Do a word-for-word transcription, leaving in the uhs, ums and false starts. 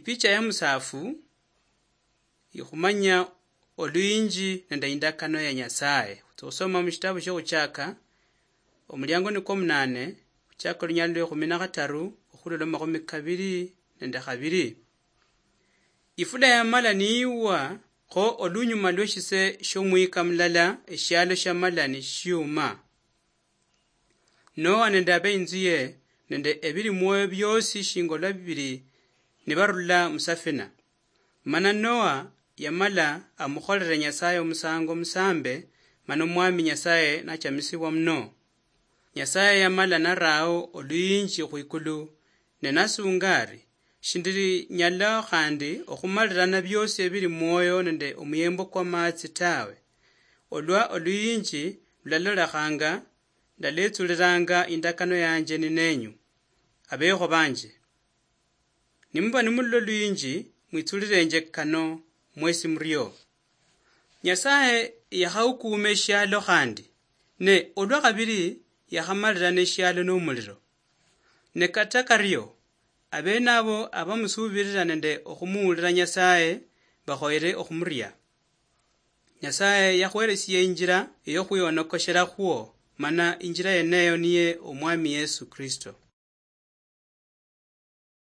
Picha ya musaafu ikhumanya oluyinji nende indakano ya Nyasaye. Khutsa khusoma mushitabu shiokhuchaka, omuliango nikwo omunane, khuchaka olunyalo lwa ekhumi na khataru okhurula mu makhumi kabiri nende khabiri. Ifula yamala niyiwa, kho olunyuma lweshise shiomwika mulala, eshialo shiamala nishiuma. Noa nende abeinzuye nende ebili mwoyo biosi shinga olwa bibili nibarula musafina. Mana Noa yamala amukholere Nyasaye omusango omusambe, mana Omwami Nyasaye nachamisibwa muno. Nyasaye yamala narao oluyinji khwikulu, ne nasunga ari, "Shindili nyala khandi okhumalirana biosi ebili mwoyo nende omuyembo kwa matsi tawe. Olwa oluyinji lulalolekhanga, ndaletsulilanga indakano yanje ninenyu, abekho banje. Nimuba nimulola oluyinji, mwitsulilenje kano mwesi murio." Nyasaye yakhaukuuma eshialo khandi, ne olwa khabili yakhamalirana eshialo nomuliro. Ne kata kario, abene abo abamusuubilila nende okhumuwulila Nyasaye bakhoyere okhumuria. Nyasaye yakhwelesia injila eyokhwihonokoshilakhwo, mana injila yeneyo niye Omwami Yesu Kristo.